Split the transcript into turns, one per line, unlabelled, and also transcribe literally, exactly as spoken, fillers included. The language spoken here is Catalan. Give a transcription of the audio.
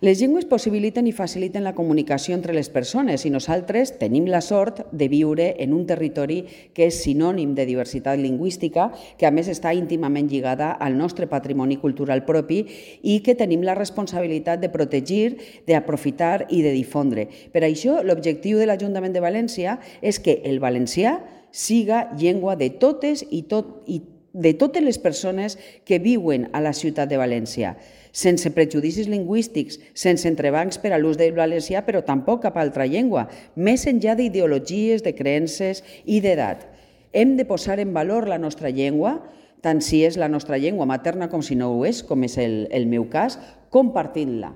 Les llengües possibiliten i faciliten la comunicació entre les persones i nosaltres tenim la sort de viure en un territori que és sinònim de diversitat lingüística, que a més està íntimament lligada al nostre patrimoni cultural propi i que tenim la responsabilitat de protegir, d'aprofitar i de difondre. Per això, l'objectiu de l'Ajuntament de València és que el valencià siga llengua de totes i tot, i de totes les persones que viuen a la ciutat de València, sense prejudicis lingüístics, sense entrebancs per a l'ús del valencià, però tampoc cap altra llengua, més enllà d'ideologies, de creences i d'edat. Hem de posar en valor la nostra llengua, tant si és la nostra llengua materna com si no ho és, com és el, el meu cas, compartint-la.